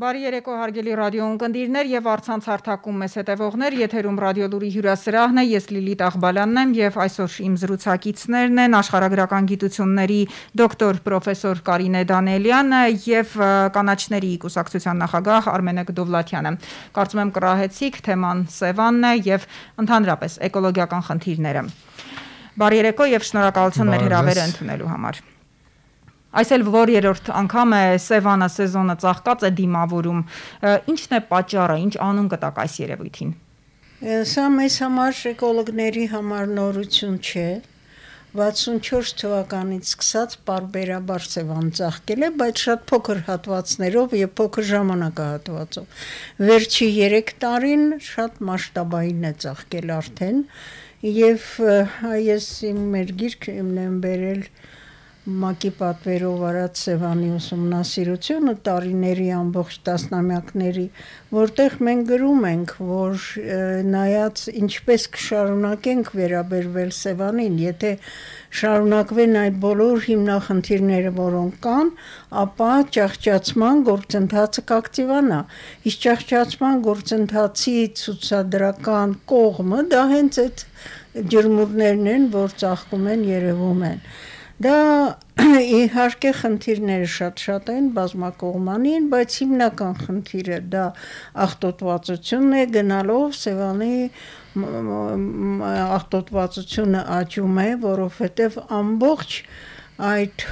Բարի երեկո հարգելի ռադիոընկերներ եւ առցանց հարթակում մեզ հետևողներ, եթերում ռադիոլուրի հյուրասրահն է, ես Լիլիթ Աղբալյանն եմ եւ այսօր իմ զրուցակիցներն են աշխարհագրական գիտությունների դոկտոր պրոֆեսոր Կարինե Դանելյանը եւ կանաչների կուսակցության նախագահ Արմենե Դովլաթյանը։ Կարծում եմ կռահեցիք, թեման Սևանն է եւ ընդհանրապես էկոլոգիական խնդիրները։ Բարի երեկո եւ շնորհակալություն մեր հրավերը ընդունելու համար։ Այսօր որ երրորդ անգամ է Սևանը սեզոնը ծաղկած է դիմավորում, ինչն է պատճառը, ինչ անուն կտակ այս երևույթին։ Սա մեզ համար էկոլոգների համար նորություն չէ, 64 թվականից սկսած պարբերաբար Սևան ծաղկել է, բայց շատ փոքր հատվածներով եւ փոքր ժամանակահատվածով։ Վերջի 3 տարին շատ մասշտաբային է ծաղկել արդեն, եւ ես մեր գիրքը եմ բերել Մակի պատվերով արած Սևանի ուսումնասիրությունը տարիների ամբողջ տասնամյակների, որտեղ մենք գրում ենք, որ նայած ինչպես կշարունակենք վերաբերվել Սևանին, եթե շարունակվեն այդ բոլոր հիմնախնդիրները, որոնք կան, ապա ճահճացման գործընթացը կակտիվանա։ Իսկ ճահճացման գործընթացի ցուցադրական կողմը դա հենց այդ ջրմուռներն են, որ ծաղկում են, երևում են։ Դա իհարկե խնդիրները շատ են, բազմակողմանին, բայց հիմնական խնդիրը դա աղտոտվածությունն է, գնալով Սևանի աղտոտվածությունը աճում է, որովհետև ամբողջ այդ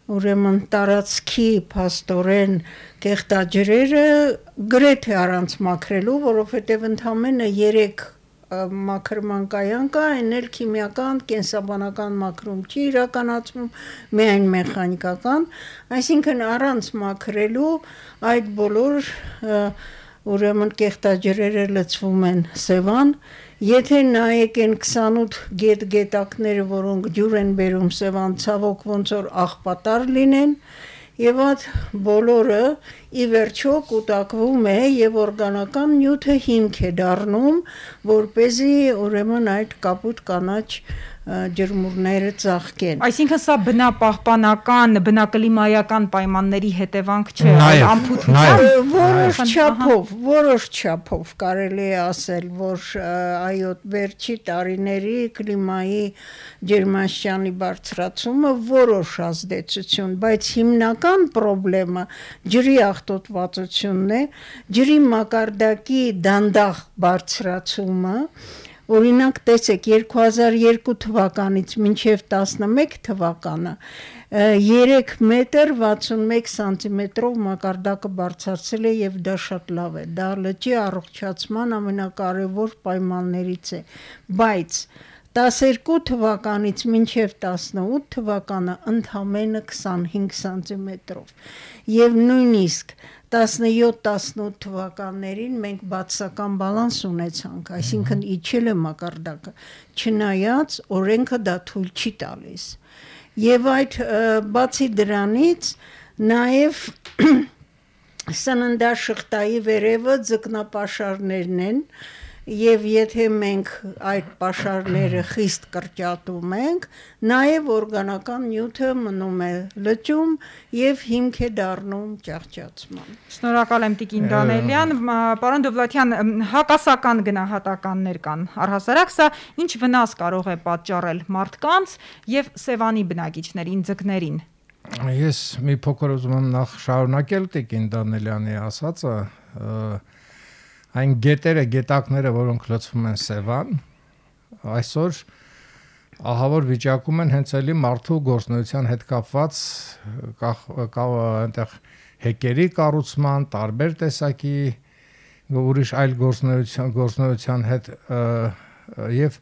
ուրեմն տարածքի փաստորեն կեղտաջրերը գրեթե առանց մաքրելու, որովհետև ընդամենը 3 մաքրման կայան կա, այն էլ քիմիական, կենսաբանական մաքրում չի իրականացվում, միայն մեխանիկական, այսինքն առանց մաքրելու այդ բոլոր ուրեմն կեղտաջրերը լցվում են Սևան, եթե նայեք են 28 գետակները, որոնք ջուր են բերում Սևան, ցավոք ոնց որ աղբատար լինեն, եւ այդ բոլորը ի վերջո կուտակվում է եւ օրգանական նյութը հիմք է դառնում, որպեսզի ուրեմն այդ կապույտ կանաչ ջրմուռները ծաղկեն։ Այսինքն սա բնապահպանական, բնակլիմայական պայմանների հետևանք չէ, որոշ չափով կարելի է ասել, որ այո, վերջի տարիների կլիմայի ջերմաստիճանի բարձրացումը որոշ ազդեցություն, բայց հիմնական խնդրեմը ջրի աղտոտվածությունն է, ջրի մակարդակի դանդաղ բարձրացումը, օրինակ տեսեք 2002 թվականից մինչև 11 թվականը 3 մետր 61 սանտիմետրով մակարդակը բարձրացել է եւ դա շատ լավ է, դա լճի առողջացման ամենակարևոր պայմաններից է, բայց 12 թվականից մինչև 18 թվականը ընդամենը 25 սանտիմետրով եւ նույնիսկ 17-18 թվականներին մենք բացասական բալանս ունեցանք, այսինքն իջել է մակարդակը, չնայած օրենքը դա թույլ չի տալիս։ Եվ այդ բացի դրանից նաև սննդաշղթայի վերևը ձկնապաշարներն են, եւ եթե մենք այդ պաշարները խիստ կրճատում ենք, նաեւ օրգանական նյութը մնում է լճում եւ հիմք է դառնում ճահճացման։ Շնորհակալ եմ Տիկին Դանելյան, պարոն Դովլաթյան, հակասական գնահատականներ կան։ Առհասարակ սա ինչ վնաս կարող է պատճառել մարդկանց եւ Սևանի բնակիչներին, ձկներին։ Ես մի փոքր ուզում եմ նախ շարունակել Տիկին Դանելյանի ասածը, այն գետակները, որոնք լցվում են Սևան, այսօր ահավոր վիճակում են հենց էլի մարդու գործունեության հետ կապված այնտեղ հեկերի կառուցման, տարբեր տեսակի ուրիշ այլ գործունեության հետ եւ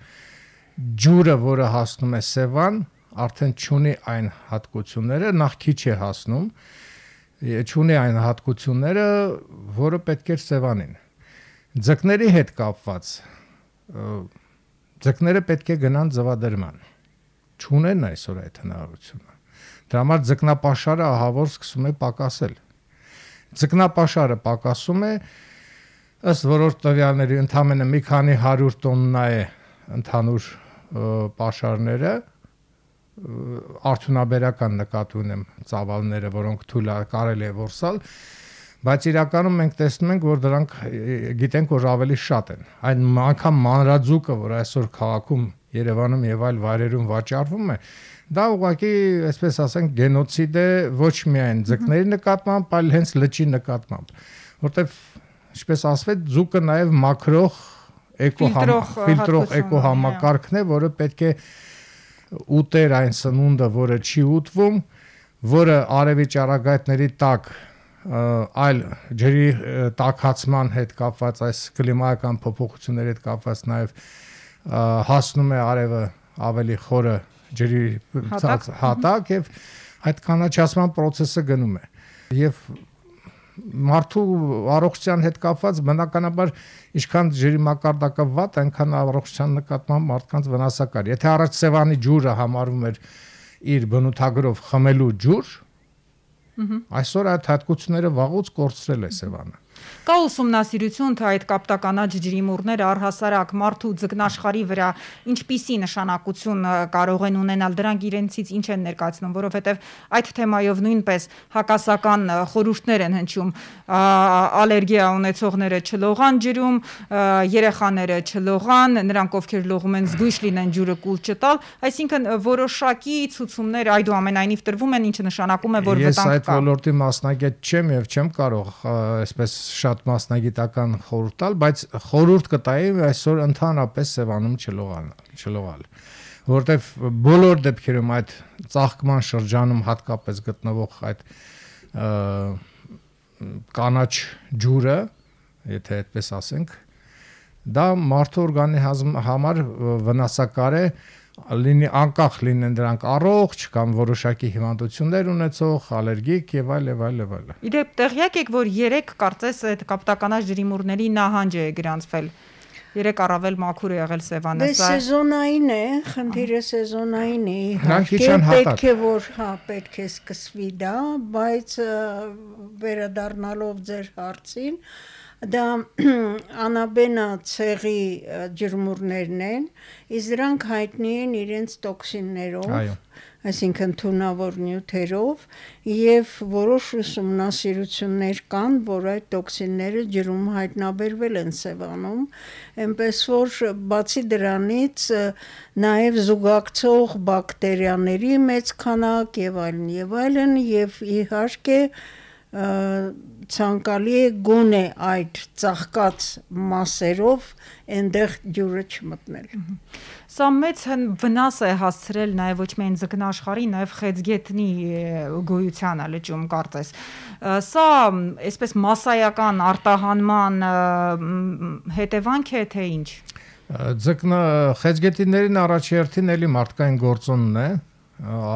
ջուրը, որը հասնում է Սևան, արդեն չունի այն հատկությունները, նախ քիչ է հասնում, չունի այն հատկությունները, որը պետք է Սևանին։ Ձկների հետ կապված ձկները պետք է գնան ձվադրման, չունեն այսօր այդ հնարավորությունը, դրա համար ձկնապաշարը ահավոր սկսում է պակասել, ձկնապաշարը պակասում է, ըստ որոշ տվյալների ընդամենը մի քանի 100 տոննա է ընդհանուր պաշարները, արդյունաբերական նկատի ունեմ ծավալները, որոնք թույլ կարելի է որսալ, բայց իրականում մենք տեսնում ենք, որ դրանք գիտենք, որ ավելի շատ են։ Այն անգամ մանրաձուկը, որ այսօր քաղաքում, Երևանում եւ այլ վայրերում վաճառվում է, դա ուղղակի, այսպես ասենք, գենոցիդ է ոչ միայն ձկների նկատմամբ, այլ հենց լճի նկատմամբ, որտեվ ինչպես ասվեց, ձուկը նաեւ մաքրող ֆիլտրող էկոհամակարգն է, որը պետք է ուտեր այն սնունդը, որը չի ուտվում, որը արևի ճառագայթների տակ այլ ջրի տաքացման հետ կապված այս կլիմայական փոփոխությունների հետ կապված նաև հասնում է արևը ավելի խորը ջրի հատակ եւ այդ կանաչացման process-ը գնում է եւ մարդու առողջության հետ կապված բնականաբար ինչքան ջրի մակարդակը վատ, այնքան առողջության նկատմամբ մարդկանց վնասակար։ Եթե առաջ Սևանի ջուրը համարվում էր իր բնութագրով խմելու ջուր, այսօր այդ հատկությունները վաղուց կորցրել է Սևանը։ Կա ուսումնասիրություն, թե այդ կապտականաչ ջրիմուռները առհասարակ մարդու ձկնաշխարհի վրա ինչպիսի նշանակություն կարող են ունենալ, դրանք իրենցից ինչ են ներկայացնում, որովհետև այդ թեմայով նույնպես հակասական խորհուրդներ են հնչում, ալերգիա ունեցողները չլողան ջրում, երեխաները չլողան, նրանք ովքեր լողում են զգույշ լինեն ջուրը կուլ չտալ, այսինքն որոշակի ցուցումներ այդուամենայնիվ տրվում են, ինչը նշանակում է, որ վտանգ կա։ Ես այդ ոլորտի մասնագետ չեմ եւ չեմ կարող այսպես շատ մասնագիտական խորհուրդ տալ, բայց խորհուրդ կտայի այսօր ընդհանրապես Սևանում չլողալ, որտեվ բոլոր դեպքերում այդ ծաղկման շրջանում հատկապես գտնվող այդ կանաչ ջուրը, եթե այդպես ասենք, դա մարդու օրգանի համար վնասակար է, լինի անկախ լինեն դրանք առողջ կամ որոշակի հիվանդություններ ունեցող, ալերգիկ եւ այլ։ Իդեպ տեղյակ եք, որ 3 կարծես այդ կապտականաչ ջրիմուռների նահանջ է գրանցվել։ 3 առավել մաքուր է եղել Սևանը։ Դե սեզոնային է, խնդիրը սեզոնային է։ Պետք է որ պետք է սկսվի դա, բայց վերադառնալով ձեր հարցին, դա անաբենա ցեղի ջրմուռներն են, իսկ դրանք հայտնի են իրենց տոքսիններով, այսինքն թունավոր նյութերով, եւ որոշ ուսումնասիրություններ կան, որ այդ տոքսինները ջրում հայտնաբերվել են Սևանում, այնպես որ բացի դրանից նաեւ զուգակցող բակտերիաների մեծ քանակ եւ այլն, եւ իհարկե ցանկալի է գոնե այդ ծաղկած մասերով այնտեղ ջուրը չմտնել։ Սա մեծ վնաս է հասցրել նաև ոչ միայն ձկնաշխարհի, նաև խեցգետնի գոյությանը լճում կարծես։ Սա այսպես մասսայական արտահանման հետևանք է, թե ինչ։ Խեցգետիներին առաջի հերթին էլի մարդկային գործոնն է,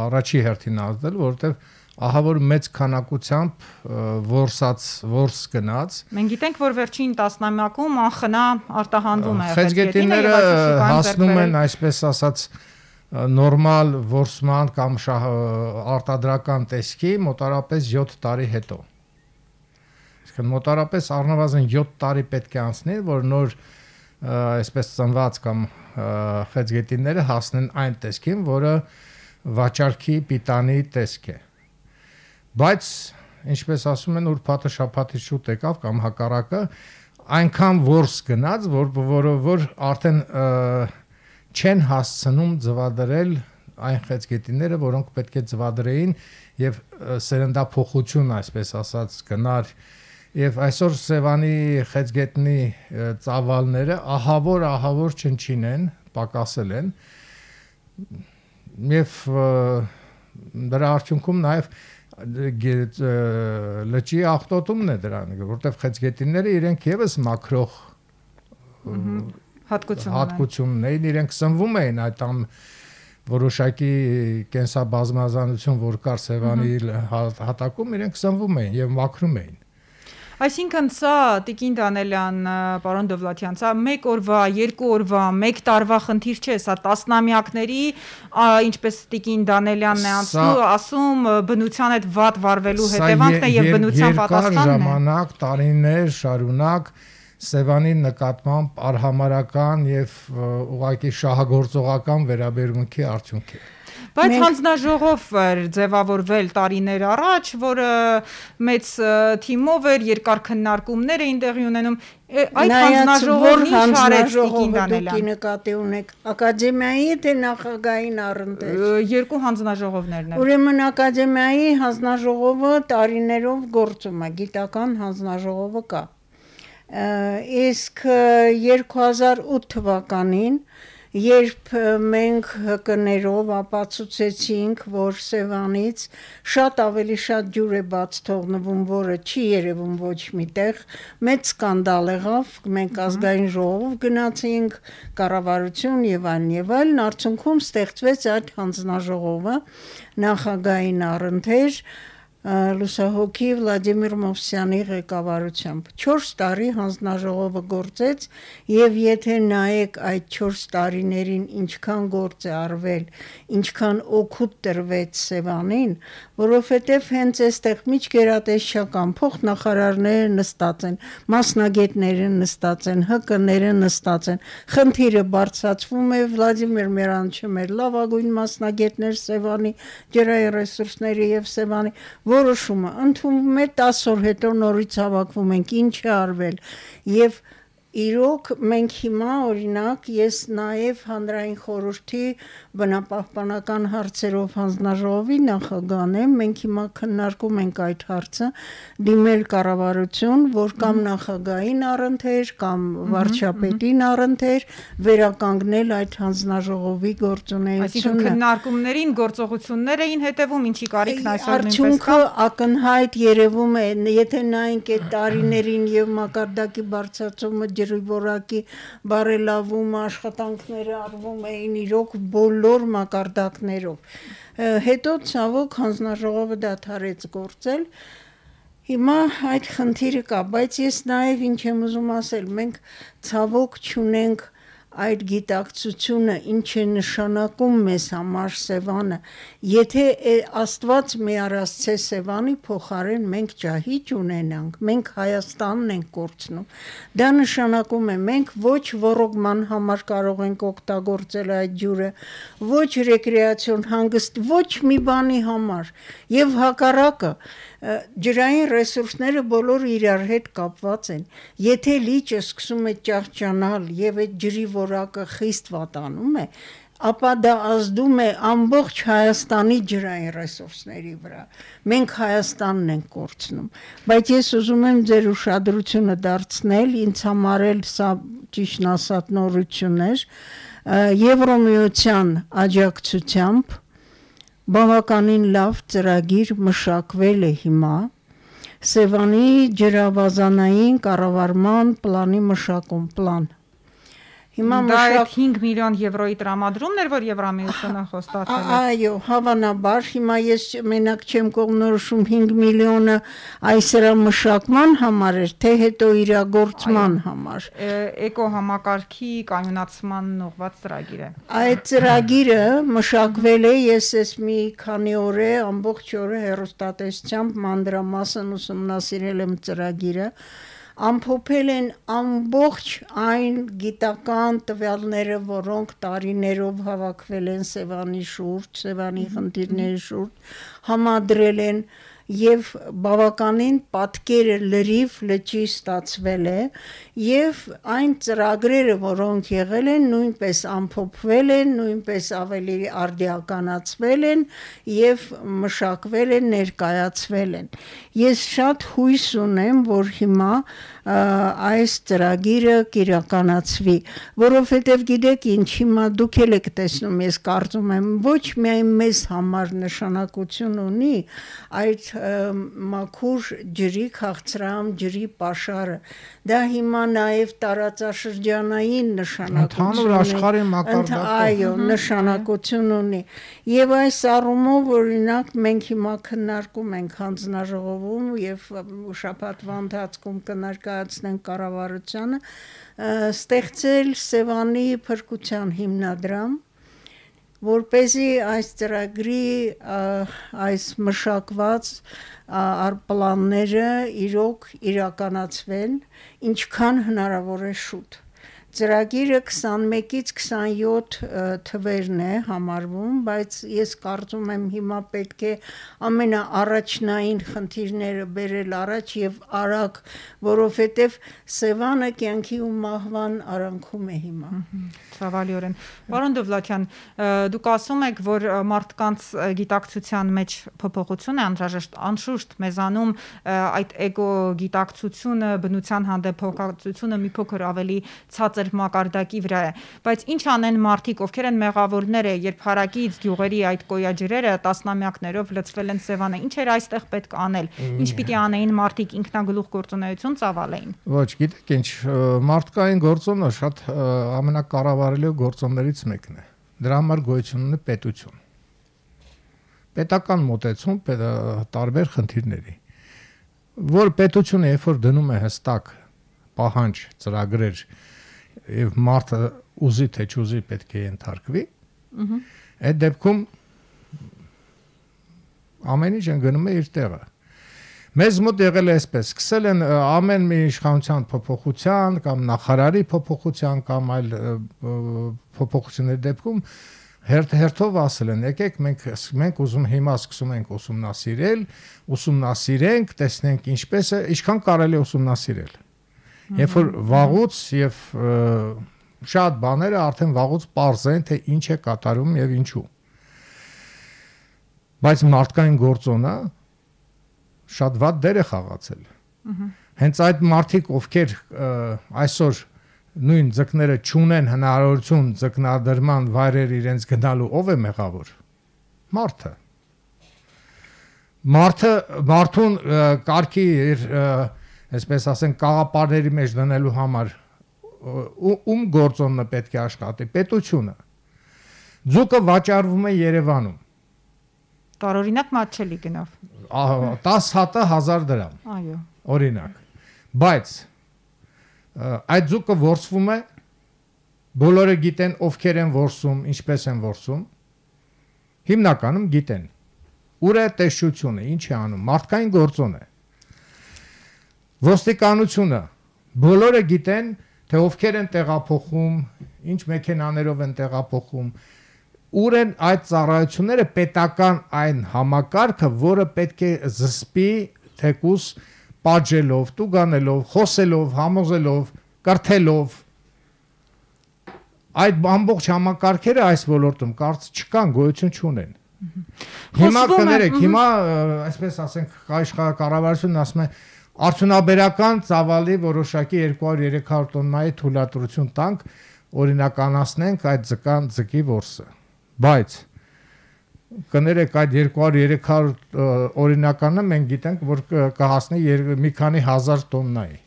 առաջի հերթին ազդել, որովհետև ահա որ մեծ քանակությամբ որս գնաց։ Մենք գիտենք, որ վերջին տասնամյակում անխնա արտահանվում է խեցգետիները հասնում են, այսպես ասած, նորմալ որսման կամ արտադրական տեսքի մոտարապես 7 տարի հետո։ Իսկ մոտարապես առնվազն 7 տարի պետք է անցնի, որ նոր այսպես ծնված կամ խեցգետիները հասնեն այն տեսքին, որը վաճառքի պիտանի տեսք է։ Բայց ինչպես ասում են, ուրբաթը շաբաթից շուտ եկավ կամ հակառակը, այնքան որս գնաց, որ արդեն չեն հասցնում ձվադրել այն խեցգետիները, որոնք պետք է ձվադրեին եւ սերնդափոխություն, այսպես ասած, գնար եւ այսօր Սևանի խեցգետնի ծավալները ահավոր չնչին են, պակասել են եւ դրա արդյունքում նաեւ լճի աղտոտումն է դրան, որտեղ խեցգետինները իրենք եւս մաքրող հատկությունն էին, իրենք սնվում էին այդ որոշակի կենսաբազմազանություն, որ կար Սևանի հատակում, իրենք սնվում էին եւ մաքրում էին։ Այսինքն սա Տիկին Դանելյան, պարոն Դովլաթյան, սա 1 օրվա, 2 օրվա, 1 տարվա խնդիր չէ, սա տասնամյակների, ինչպես Տիկին Դանելյանն է ասում, բնության հետ վատ վարվելու հետևանքն է եւ բնության պատասխանն է։ Երկար ժամանակ, տարիներ շարունակ Սևանի նկատմամբ արհամարական եւ ուղղակի շահագործողական վերաբերմունքի արդյունք է։ Բայց հանձնաժողով էր ձևավորվել տարիներ առաջ, որը մեծ թիմով էր, երկար քննարկումներ էին տեղի ունենում։ Այդ հանձնաժողովն ինչ արեց Տիկին Դանելյան։ Նկատի ունեք ակադեմիայի թե նախագահային առընթեր։ Երկու հանձնաժողովներն են։ Ուրեմն ակադեմիայի հանձնաժողովը տարիներով գործում է, գիտական հանձնաժողովը կա։ Իսկ 2008 թվականին երբ մենք ՀԿ-ներով ապացուցեցինք, որ Սևանից շատ ավելի շատ ջուր է բաց թողնվում, որը չի երևում ոչ միտեղ, մեծ սկանդալ եղավ, մենք ազգային ժողով գնացինք, կառավարություն եւ այլն, արդյունքում ստեղծվեց այդ հանձնաժողովը նախագահային առընթեր լուսահոգի Վլադիմիր Մովսյանի ղեկավարությամբ 4 տարի հանձնաժողովը գործեց եւ եթե նայեք այդ 4 տարիներին ինչքան գործ է արվել, ինչքան օգուտ տրվեց Սևանին, որովհետեւ հենց այստեղ միջգերատեսչական փոխնախարարները նստած են, մասնագետները նստած են, ՀԿ-ները նստած են, խնդիրը բարձրացվում է Վլադիմիր Մերանչը մեր լավագույն մասնագետներ Սևանի ջրային ռեսուրսների եւ Սևանի որոշումը ընդունվում է 10 օր հետո նորից հավաքվում ենք ինչ է արվել եւ իրոք մենք հիմա օրինակ ես նաև հանրային խորհրդի բնապահպանական հարցերով հանձնաժողովի նախագահն եմ մենք հիմա քննարկում ենք այդ հարցը դիմել կառավարություն որ կամ նախագահային առընթեր կամ վարչապետին առընթեր վերականգնել այդ հանձնաժողովի գործունեությունը այսինքն քննարկումներին գործողություններ էին հետևում ինչի կարիքն այսօր նույնպես արդյունքը ակնհայտ երևում է եթե նայենք այդ տարիներին եւ մակարդակի բարձրացումը ջրի որակի բարելավումը աշխատանքները արվում էին իրոք բոլոր մակարդակներով հետո ցավոք հանձնաժողովը դադարեց գործել հիմա այդ խնդիրը կա բայց ես նաև ինչ եմ ուզում ասել մենք ցավոք չունենք այդ գիտակցությունը ինչ է նշանակում մեզ համար Սևանը եթե Աստված մի առասցե Սևանի փոխարեն մենք ջահիճ ունենանք մենք Հայաստանն ենք կորցնում դա նշանակում է մենք ոչ ոռոգման համար կարող ենք օգտագործել այդ ջուրը ոչ ռեկրեացիոն հանգիստ ոչ մի բանի համար եւ հակառակը ջրային ռեսուրսները բոլորը իրար հետ կապված են եթե լիճը սկսում է ճահճանալ եւ այդ ջրի որակը խիստ վատանում է ապա դա ազդում է ամբողջ Հայաստանի ջրային ռեսուրսների վրա մենք Հայաստանն ենք կորցնում բայց ես ուզում եմ ձեր ուշադրությունը դարձնել ինձ համար էլ սա ճիշտ ասած նորություն էր Եվրոմիության աջակցությամբ բավականին լավ ծրագիր մշակվել է հիմա Սևանի ջրավազանային կառավարման պլանի մշակում պլան Հիմա դա 5 միլիոն եվրոյի տրամադրումն էր, որ Եվրամիությունը խոստացել է։ Այո, հավանաբար, հիմա ես մենակ չեմ կողմնորոշում 5 միլիոնը այս դրա մշակման համար էր, թե հետո իրագործման համար։ Էկո համակարգի կայունացման ուղղված ծրագիր է։ Այդ ծրագիրը մշակվել է, ես ես մի քանի օր է, ամբողջ օրը հեռուստատեսությամբ մանրամասն ուսումնասիրել եմ ծրագիրը։ Ամփոփել են ամբողջ այն գիտական տվյալները, որոնք տարիներով հավաքվել են Սևանի շուրջ, Սևանի խնդիրների շուրջ, համադրել են եւ բավականին պատկերը լրիվ լճի ստացվել է եւ այն ծրագրերը, որոնք եղել են, նույնպես ամփոփվել են, նույնպես ավելի արդիականացվել են եւ մշակվել են, ներկայացվել են։ Ես շատ հույս ունեմ, որ հիմա այս ծրագիրը կիրականացվի, որովհետև գիտեք ինչ, հիմա դուք էլ եք տեսնում, ես կարծում եմ, ոչ միայն մեզ համար նշանակություն ունի այդ մաքուր ջրի քաղցրահամ ջրի պաշարը, դա հիմա նաև տարածաշրջանային նշանակություն ունի, աշխարհի մակարդակով, այո, նշանակություն ունի, եւ այս առումով օրինակ մենք հիմա քննարկում ենք հանձնաժողովում եւ շաբաթվա ընթացքում կներկայացնենք կառավարությանը ստեղծել Սևանի փրկության հիմնադրամ որպեսզի այս ծրագրի այս մշակված պլանները իրոք իրականացվեն ինչքան հնարավոր է շուտ։ Ծրագիրը 21-ից 27 թվերն է համարվում, բայց ես կարծում եմ հիմա պետք է ամենաառաջնային խնդիրները բերել առաջ եւ արագ, որովհետեւ Սևանը կյանքի ու մահվան արանքում է հիմա։ Ցավալիորեն։ Պարոն Դովլաթյան, դուք ասում եք, որ մարդկանց գիտակցության մեջ փոփոխություն է անհրաժեշտ, անշուշտ մեզանում այդ էգո գիտակցությունը, բնության հանդեպ հոգացությունը մի փոքր ավելի ցածր մակարդակի վրա է, բայց ինչ անեն մարդիկ, ովքեր են մեղավորները, երբ հարակից գյուղերի այդ կոյաջրերը տասնամյակներով լցվել են Սևանը, ինչ էր այստեղ պետք անել, ինչ պիտի անեին մարդիկ, ինքնագլուխ գործունեություն ծավալեին։ Ոչ, գիտեք ինչ, մարդկային գործոնը շատ ամենակառավարելի գործոններից մեկն է, դրա համար գոյություն ունի պետություն, պետական մոտեցում տարբեր խնդիրների, որ պետությունը երբ որ դնում է հստակ պահանջ ծրագրեր եւ մարդը ուզի թե չուզի պետք է ենթարկվի, այդ դեպքում ամեն ինչ գնում է իր տեղը։ Մեզ մոտ եղել է այսպես, սկսել են ամեն մի իշխանության փոփոխության կամ նախարարի փոփոխության կամ այլ փոփոխությունների դեպքում հերթով ասել են, եկեք մենք ուզում հիմա սկսում ենք ուսումնասիրենք, տեսնենք ինչպես է, ինչքան կարելի է ուսումնասիրել։ Երբ որ վաղուց եւ շատ բաները արդեն վաղուց պարզ են, թե ինչ է կատարում եւ ինչու։ Բայց մարդկային գործոնը շատ վատ դեր է խաղացել։ Հենց այդ մարդիկ, ովքեր այսօր նույն ձկները չունեն հնարավորություն ձկնադրման վայրեր իրենց գնալու, ով է մեղավոր։ Մարդուն կարգի այսպես ասենք կաղապարների մեջ դնելու համար ում գործոնը պետք է աշխատի, պետությունը։ Ձուկը վաճառվում է Երևանում։ Տարօրինակ մատչելի գնով։ 10 հատը 1000 դրամ։ Այո։ Օրինակ։ Բայց այդ ձուկը որսվում է, բոլորը գիտեն ովքեր են որսում, ինչպես են որսում։ Հիմնականում գիտեն։ Ուր է տեսչությունը, ինչ է անում, մարդկային գործոն է։ Ոստիկանությունը բոլորը գիտեն, թե ովքեր են տեղափոխում, ինչ մեքենաներով են տեղափոխում, ուր են այդ ծառայությունները պետական այն համակարգը, որը պետք է զսպի թեկուս պատժելով, տուգանելով, խոսելով, համոզելով, կրթելով։ Այդ ամբողջ համակարգերը այս ոլորտում կարծ չկան, գոյություն չունեն։ Հիմա կներեք, հիմա այսպես ասենք, կառավարությունն ասում է արդյունաբերական ծավալի որոշակի 200-300 տոննայի թույլատրություն տանք, օրինականացնենք այդ ձկի որսը։ Բայց կներեք այդ 200-300 օրինականը մենք գիտենք, որ կհասնի մի քանի հազար տոննայի։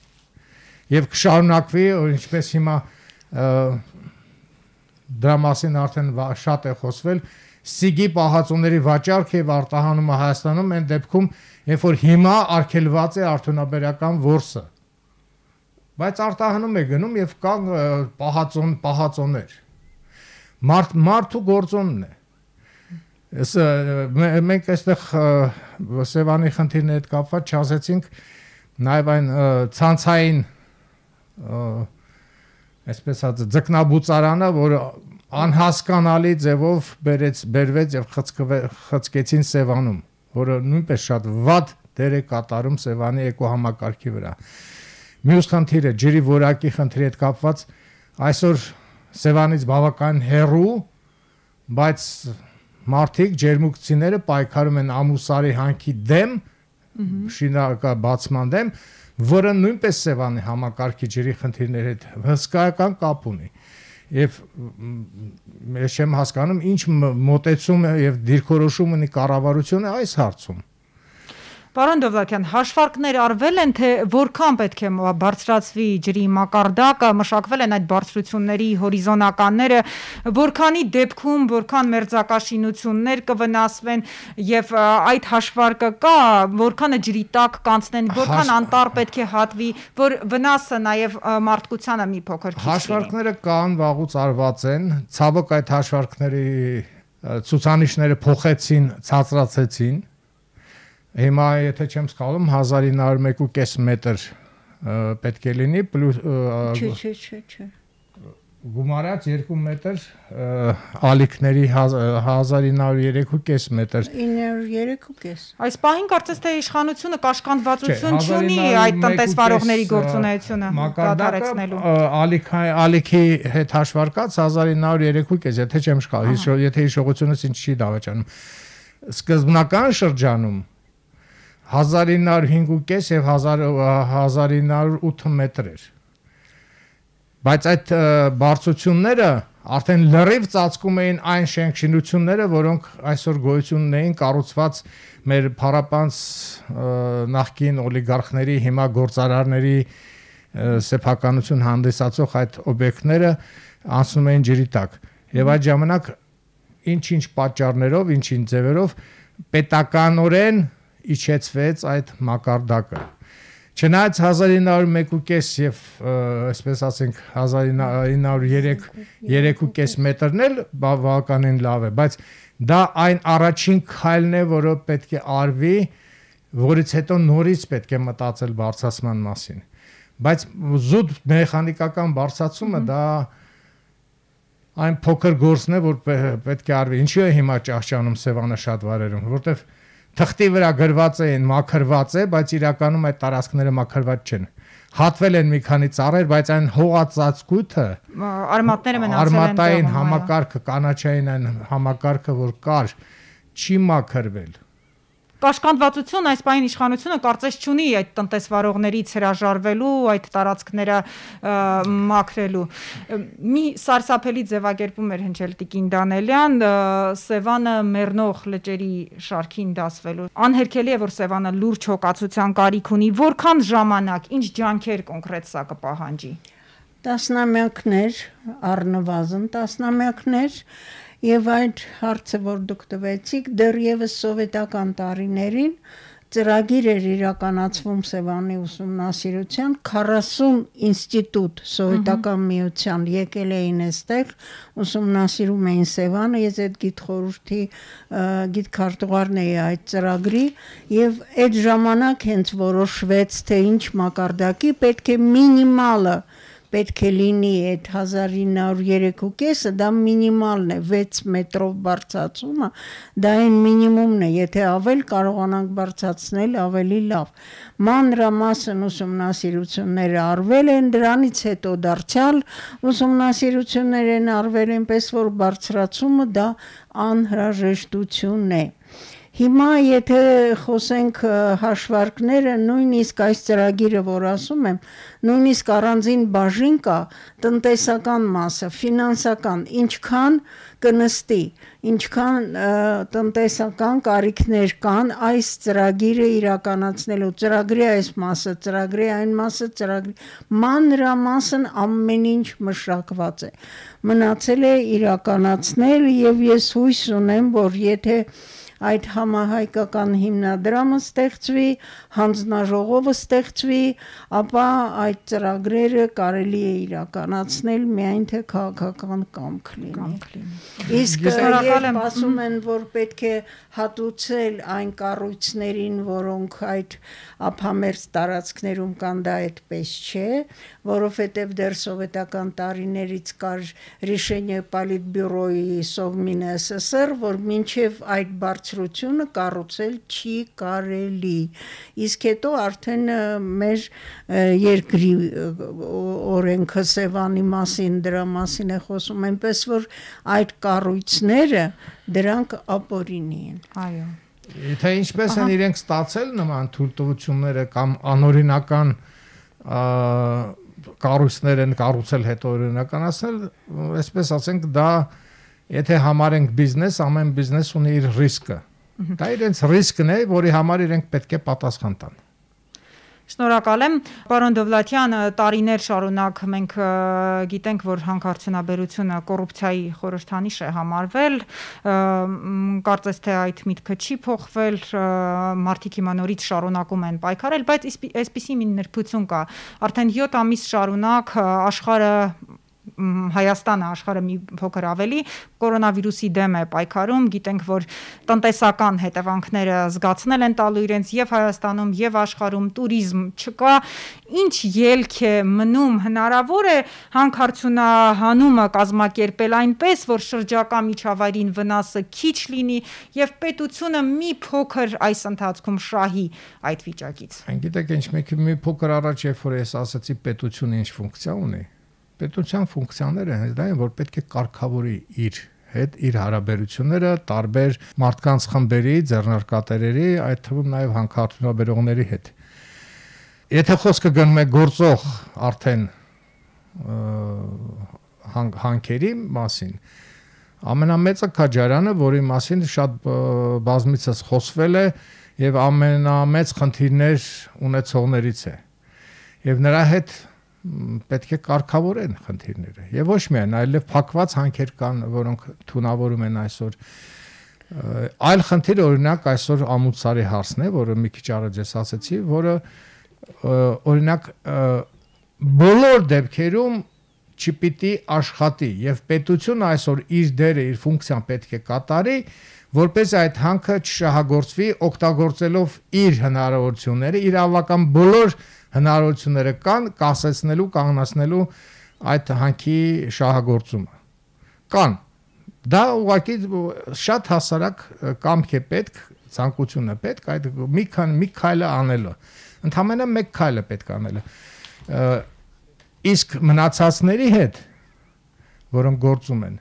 Եվ կշարունակվի, ինչպես հիմա դրա մասին արդեն շատ է խոսվել, սիգի պահածոների վաճառք եւ արտահանումը Հայաստանում են դեպքում, երբ որ հիմա արգելված է արդյունաբերական որսը։ Բայց արտահանում է գնում եւ կան պահածոներ։ Մարդու գործոնն է։ Մենք այստեղ Սևանի խնդիրների հետ կապված չասեցինք նաեւ այն ցանցային այսպես ասած ձկնաբուծարանը, որը անհասկանալի ձևով բերվեց եւ խցկեցին Սևանում, որը նույնպես շատ վատ դեր է կատարում Սևանի էկոհամակարգի վրա։ Մյուս խնդիրը ջրի որակի խնդրի հետ կապված այսօր Սևանից բավական հեռու, բայց մարդիկ ջերմուկցիները պայքարում են Ամուսարի հանքի դեմ, շինարարական դեմ, որը նույնպես Սևանի համակարգի ջրի խնդիրների հետ հսկայական կապ ունի։ Եվ ես չեմ հասկանում ինչ մոտեցում եւ դիրքորոշում ունի կառավարությունը այս հարցում։ Պարոն Դովլաթյան, հաշվարկներ արվել են, թե որքան պետք է բարձրացվի ջրի մակարդակը, մշակվել են այդ բարձրությունների հորիզոնականները, որքանի դեպքում, որքան մերձակաշինություններ կվնասվեն եւ այդ հաշվարկը կա, որքանը ջրի տակ կանցնեն, որքան անտառ պետք է հատվի, որ վնասը նաեւ մարդկությանը մի փոքր քիչ լինի։ Հաշվարկները կան, վաղուց արված են, ցավոք այդ հաշվարկների ցուցանիշները փոխեցին, ցածրացեցին։ Հիմա եթե չեմ սխալվում 1901.5 մետր պետք է լինի պլյուս Չէ գումարած 2 մետր ալիքների 1903.5 մետր 903.5 Այս պահին կարծես թե իշխանությունը կաշկանդվածություն չունի այդ տնտեսվարողների գործունեությունը կատարեցնելու ալիքի հետ հաշվարկած 1903.5 եթե չեմ սխալվում եթե հիշողությունս ինձ չի դավաճանում սկզբնական շրջանում 1905.5 եւ 1908 մետր էր բայց այդ բարձրությունները արդեն լրիվ ծածկում էին այն շենքշինությունները, որոնք այսօր գոյություն ունեին կառուցված մեր փառապանց նախկին օլիգարխների, հիմա գործարարների սեփականություն հանդիսացող այդ օբյեկտները անցնում էին ջրի տակ։ Եվ այդ ժամանակ ինչ-ինչ պատճառներով, ինչ-ինչ ձևերով պետականորեն իջեցվեց այդ մակարդակը։ Չնայած 1901.5 եւ այսպես ասենք 1903.5 մետրն էլ բավականին լավ է, բայց դա այն առաջին քայլն է, որը պետք է արվի, որից հետո նորից պետք է մտածել բարձրացման մասին։ Բայց զուտ մեխանիկական բարձրացումը դա այն փոքր գործն է, որ պետք է արվի։ Ինչու է հիմա ճահճանում Սևանը շատ վայրերում, որտեվ թղթի վրա գրված են մաքրված է, բայց իրականում այդ տարածքները մաքրված չեն։ Հատվել են մի քանի ծառեր, բայց այն հողածածկույթը արմատները մնացել են արմատային համակարգը, կանաչային այն համակարգը, որ կար, չի մաքրվել։ Կաշկանդվածություն այս պահին իշխանությունը կարծես չունի այդ տնտեսվարողներից հրաժարվելու, այդ տարածքները մաքրելու։ Մի սարսափելի ձևակերպում էր հնչել Տիկին Դանելյան, Սևանը մեռնող լճերի շարքին դասվելու։ Անհերքելի է, որ Սևանը լուրջ հոգացության կարիք ունի, որքան ժամանակ, ինչ ջանքեր կոնկրետ սա կպահանջի։ Տասնամյակներ, առնվազն տասնամյակներ Եվ այդ հարցը, որ դուք տվեցիք, դեռևս սովետական տարիներին ծրագիր էր իրականացվում Սևանի ուսումնասիրության 40 ինստիտուտ սովետական միության եկել էին այստեղ, ուսումնասիրում էին Սևանը, ես այդ գիտխորհրդի գիտքարտուղարն էի այդ ծրագրի եւ այդ ժամանակ հենց որոշվեց, թե ինչ մակարդակի պետք է մինիմալը պետք է լինի այդ 1903.5-ը, դա մինիմալն է, 6 մետրով բարձրացումը, դա այն մինիմումն է, եթե ավել կարողանանք բարձրացնել ավելի լավ։ Մանրամասն ուսումնասիրությունները արվել են, դրանից հետո դարձյալ ուսումնասիրություններ են արվել, այնպես որ բարձրացումը դա անհրաժեշտություն է։ Հիմա եթե խոսենք հաշվարկները, նույնիսկ այս ծրագիրը, որ ասում եմ, նույնիսկ առանձին բաժին կա տնտեսական մասը, ֆինանսական, ինչքան կնստի, ինչքան տնտեսական կարիքներ կան այս ծրագիրը իրականացնելու, ծրագրի այս մասը, ծրագրի այն մասը, ծրագրի մանրամասն ամեն ինչ մշակված է, մնացել է իրականացնել եւ ես հույս ունեմ, որ եթե այդ համահայկական հիմնադրամը ստեղծվի, հանձնաժողովը ստեղծվի, ապա այդ ծրագրերը կարելի է իրականացնել միայն թե քաղաքական կամք լինի։ Իսկ երբ ասում են, որ պետք է հատուցել այն կառույցներին, որոնք այդ ափամերձ տարածքներում կան, դա այդպես չէ, որովհետև դեռ սովետական տարիներից կար Решение Политбюроյի Совмին ՍՍՍР, որ մինչև այդ բարձրությունը կառուցել չի կարելի։ Իսկ հետո արդեն մեր երկրի օրենքը Սևանի մասին, դրա մասին է խոսում, այնպես որ այդ կառույցները դրանք ապօրինի են։ Այո։ Թե ինչպես են իրենք ստացել նման թույլտվությունները կամ անօրինական կառույցներ են կառուցել հետո օրինականացնել, այսպես ասենք, դա եթե համարենք բիզնես, ամեն բիզնես ունի իր ռիսկը։ Դա իրենց ռիսկն է, որի համար իրենք պետք է պատասխան տան։ Շնորհակալ եմ, պարոն Դովլաթյան, տարիներ շարունակ մենք գիտենք, որ հանքարդյունաբերությունը կոռուպցիայի խորհրդանիշ է համարվել, կարծես թե այդ միտքը չի փոխվել, մարդիկ հիմա նորից շարունակում են պայքարել, բայց այսպիսի մի նրբություն կա, արդեն 7 ամիս շարունակ աշխարհը Հայաստանը աշխարհը մի փոքր ավելի կորոնավիրուսի դեմ է պայքարում, գիտենք, որ տնտեսական հետևանքները զգացնել են տալու իրենց եւ Հայաստանում եւ աշխարհում, туриզմ չկա, ինչ ելք է մնում, հնարավոր է հանքարդյունահանումը կազմակերպել այնպես, որ շրջակա միջավայրին վնասը քիչ լինի եւ պետությունը մի փոքր այս ընթացքում շահի այդ վիճակից։ Գիտեք, մի փոքր առաջ երբ որ ես ասացի պետությունը ինչ ֆունկցիա ունի, պետության ֆունկցիաները հենց դա են, որ պետք է կարգավորի իր հետ իր հարաբերությունները տարբեր մարդկանց խմբերի, ձեռնարկատերերի, այդ թվում նաև հանքարդյունաբերողների հետ։ Եթե խոսքը գնում է գործող արդեն հանքերի մասին, ամենամեծը Քաջարյանը, որի մասին շատ բազմիցս խոսվել է եւ ամենամեծ խնդիրներ ունեցողներից է։ Եվ նրա հետ պետք է կարգավորեն խնդիրները եւ ոչ միայն այլև փակված հանքեր կան, որոնք թունավորում են այսօր այլ խնդիր օրինակ այսօր ամուծարի հարցն է, որը մի քիչ առաջ ես ասացի, որը օրինակ բոլոր դեպքերում չպիտի աշխատի եւ պետությունը այսօր իր դերը, իր ֆունկցիան պետք է կատարի, որպես այդ հանքը չշահագործվի, օգտագործելով իր հնարավորությունները, իր ավական բոլոր հնարավորությունները կան կասեցնելու, կանգնացնելու այդ հանքի շահագործումը։ Կան։ Դա ուղղակի շատ հասարակ կամք է պետք, ցանկություն է պետք այդ մի քայլը անելը։ Ընդհանրապես մեկ քայլը պետք անելը։ Իսկ մնացածների հետ, որոնք գործում են,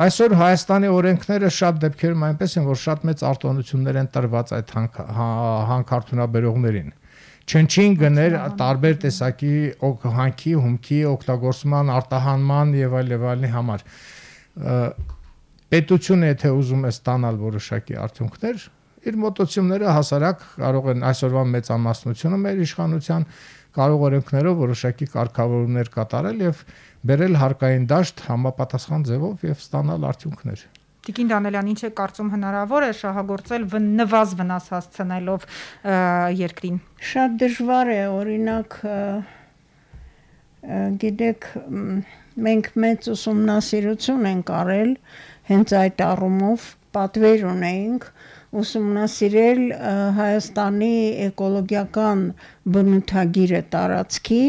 այսօր Հայաստանի օրենքները շատ դեպքերում այնպես են, որ շատ մեծ արտոնություններ են տրված այդ հանքարդյունաբերողներին։ Չնչին գներ տարբեր տեսակի հանքի, հումքի օգտագործման, արտահանման եւ այլն համար։ Պետությունը եթե ուզում է ստանալ որոշակի արդյունքներ, իր մոտոցումները հասարակ կարող են այսօրվա մեծամասնությունը մեր իշխանության կարող օրենքներով որոշակի կարգավորումներ կատարել եւ բերել հարկային դաշտ համապատասխան ձևով եւ ստանալ արդյունքներ։ Տիկին Դանելյան, ինչ է կարծում հնարավոր է շահագործել նվազ վնաս հասցնելով երկրին։ Շատ դժվար է, օրինակ գիտեք, մենք մեծ ուսումնասիրություն ենք արել հենց այդ առումով, պատվեր ունեինք ուսումնասիրել Հայաստանի էկոլոգիական բնութագիրը տարածքի,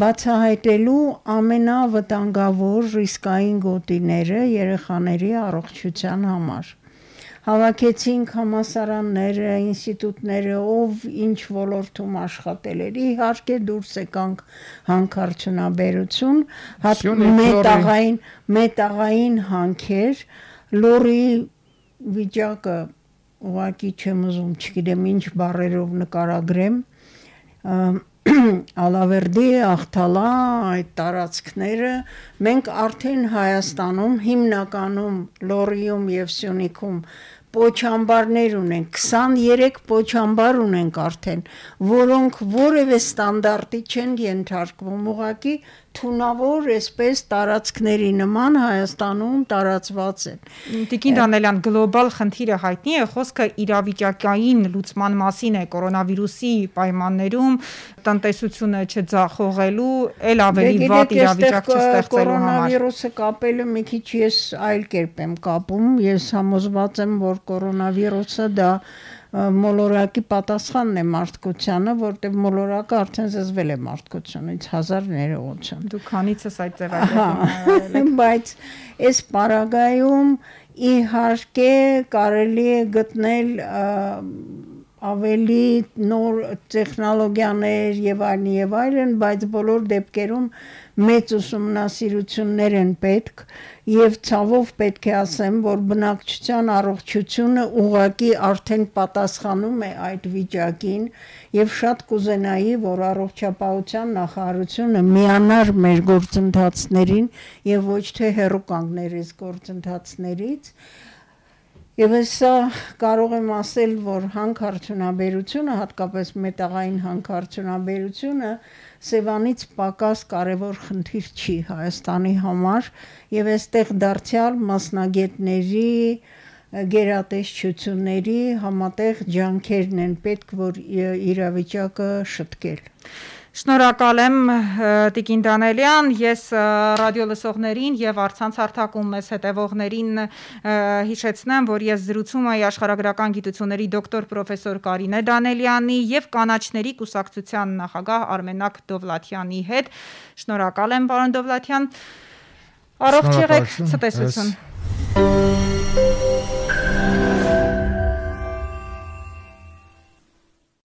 բացահայտելու ամենավտանգավոր ռիսկային գոտիները երեխաների առողջության համար։ Հավաքեցինք համալսարանները, ինստիտուտները, ով ինչ ոլորտում աշխատել էր, իհարկե դուրս եկանք հանքարդյունաբերություն, մետաղային հանքեր, լորի վիճակը ուղղակի չեմ ուզում, չգիտեմ ինչ բառերով նկարագրեմ, Ալավերդի, Ախթալա, այդ տարածքները մենք արդեն Հայաստանում հիմնականում Լոռիում եւ Սյունիքում պոչամբարներ ունենք, 23 պոչամբար ունենք արդեն, որոնք որևէ ստանդարտի չեն ենթարկվում, ուղղակի թունավոր այսպես տարածքների նման Հայաստանում տարածված են։ Տիկին Դանելյան, գլոբալ խնդիրը հայտնի է, խոսքը իրավիճակային լուծման մասին է կորոնավիրուսի պայմաններում տնտեսությունը չձախողելու, ել ավելի վատ իրավիճակ չստեղծելու համար։ Կորոնավիրուսը կապելը մի քիչ ես այլ կերպ եմ կապում, ես համոզված եմ, որ կորոնավիրուսը դա մոլորակի պատասխանն է մարդկությանը, որտեղ մոլորակը արդեն զզվել է մարդկությունից 1000 ներողություն։ Դու քանիցս այդ ձևակերպում։ Բայց այս պարագայում իհարկե կարելի է գտնել ավելի նոր տեխնոլոգիաներ եւ այլն, բայց բոլոր դեպքերում մեծ ուսումնասիրություններ են պետք եւ ցավով պետք է ասեմ, որ բնակչության առողջությունը ուղղակի արդեն պատասխանում է այդ վիճակին եւ շատ կուզենայի, որ առողջապահության նախարարությունը միանար մեր գործընթացներին եւ ոչ թե հեռու կանգներ այս գործընթացներից։ Եվ հեսա կարող եմ ասել, որ հանքարդյունաբերությունը, հատկապես մետաղային հանքարդյունաբերությունը Սևանից պակաս կարևոր խնդիր չի Հայաստանի համար եւ այստեղ դարձյալ մասնագետների, գերատեսչությունների համատեղ ջանքերն են պետք, որ իրավիճակը շտկել։ Շնորհակալ եմ Տիկին Դանելյան, ես ռադիոլսողներին եւ առցանց հարթակում մեզ հետևողներին հիշեցնեմ, որ ես զրուցում եմ աշխարհագրական գիտությունների դոկտոր պրոֆեսոր Կարինե Դանելյանի եւ կանաչների կուսակցության նախագահ Արմենակ Դովլաթյանի հետ։ Շնորհակալ եմ, պարոն Դովլաթյան։ Առողջ եղեք, ցտեսություն։